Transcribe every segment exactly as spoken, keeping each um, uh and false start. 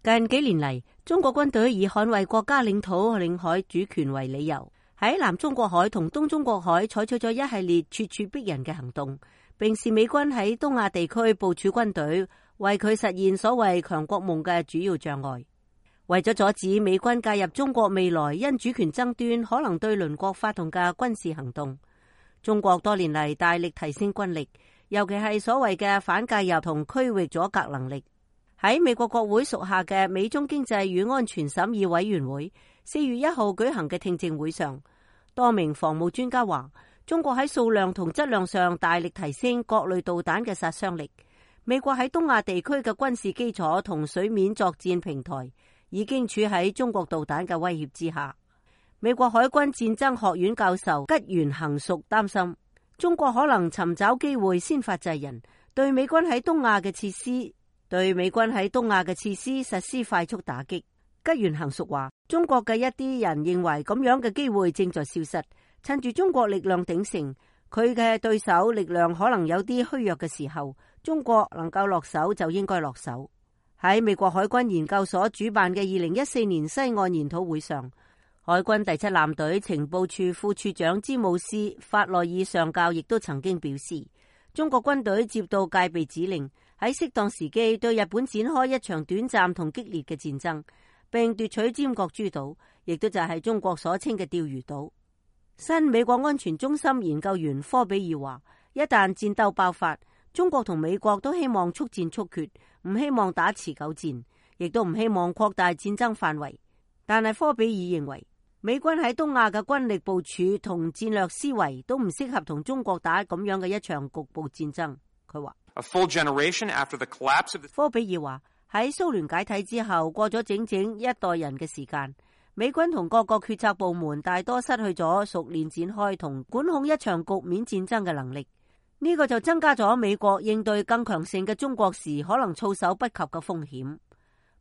近幾年嚟，中國軍隊以捍衛國家領土領海主權為理由，喺南中國海同東中國海採取咗一系列咄咄逼人嘅行動，並視美軍喺東亞地區部署軍隊為佢實現所謂強國夢嘅主要障礙。為咗阻止美軍介入中國未來因主權爭端可能對鄰國發動嘅軍事行動，中國多年嚟大力提升軍力，尤其係所謂嘅反介入同區域阻隔能力。喺美國國會屬下嘅美中經濟與安全審議委員會四月一號舉行嘅聽證會上，多名防務專家話，中國喺數量同質量上大力提升各類導彈嘅殺傷力。美國喺東亞地區嘅軍事基礎同水面作戰平台已經處喺中國導彈嘅威脅之下。美國海軍戰爭學院教授吉原行淑擔心，中國可能尋找機會先發制人，對美軍喺東亞嘅設施對美軍喺東亞嘅設施實施快速打擊。吉原行淑話，中國嘅一啲人認為咁樣嘅機會正在消失，趁住中國力量鼎盛，佢嘅對手力量可能有啲虛弱嘅時候，中國能夠落手就應該落手。喺美國海軍研究所主辦嘅二零一四年西岸研討會上，海軍第七艦隊情報處副處長詹姆斯法內爾上校亦都曾經表示，中國軍隊接到戒備指令，喺適當時機對日本展開一場短暫同激烈嘅戰爭，並奪取尖閣諸島，亦都就係中國所稱嘅釣魚島。新美國安全中心研究員科比爾話，一旦戰鬥爆發，中國同美國都希望速戰速決，唔希望打持久戰，亦都唔希望擴大戰爭範圍。但係科比爾認為，美軍喺東亞嘅軍力部署同戰略思維都唔適合同中國打咁樣嘅一場局部戰爭。佢話，科比爾話，喺蘇聯解體之後，過咗整整一代人嘅時間，美軍同各個決策部門大多失去咗熟練展開同管控一場局面戰爭嘅能力。呢個就增加咗美國應對更強盛嘅中國時可能措手不及嘅風險。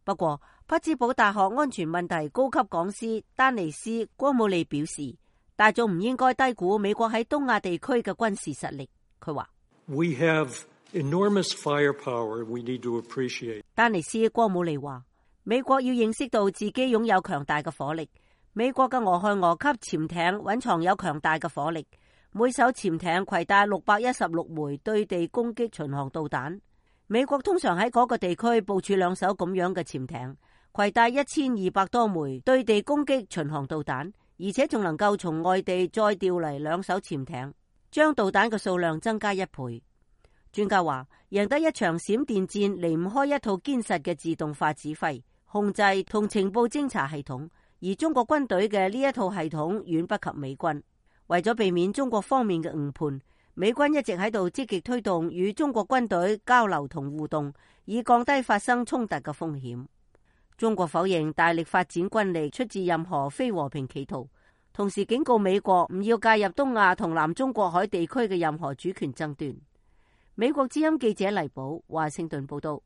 不過，匹茲堡大學安全問題高級講師丹尼斯·戈姆利表示，大眾唔應該低估美國喺東亞地區嘅軍事實力。佢話：We have enormous firepower we need to appreciate. 丹尼斯·戈姆利話，美國要認識到自己擁有強大嘅火力。美國嘅俄亥俄級潛艇蘊藏有強大嘅火力，每艘潛艇攜帶六百一十六枚對地攻擊巡航導彈。美國通常喺嗰個地區部署兩艘咁樣嘅潛艇，攜帶一千二百多枚對地攻擊巡航導彈，而且仲能夠從外地再調嚟兩艘潛艇，將導彈嘅數量增加一倍。專家話，贏得一場閃電戰離唔開一套堅實嘅自動化指揮、控制同情報偵察系統，而中國軍隊嘅呢一套系統遠不及美軍。為咗避免中國方面嘅誤判，美軍一直喺度積極推動與中國軍隊交流同互動，以降低發生衝突嘅風險。中國否認大力發展軍力出自任何非和平企圖，同時警告美國唔要介入東亞同南中國海地區嘅任何主權爭端。美國之音記者黎寶華盛頓報道。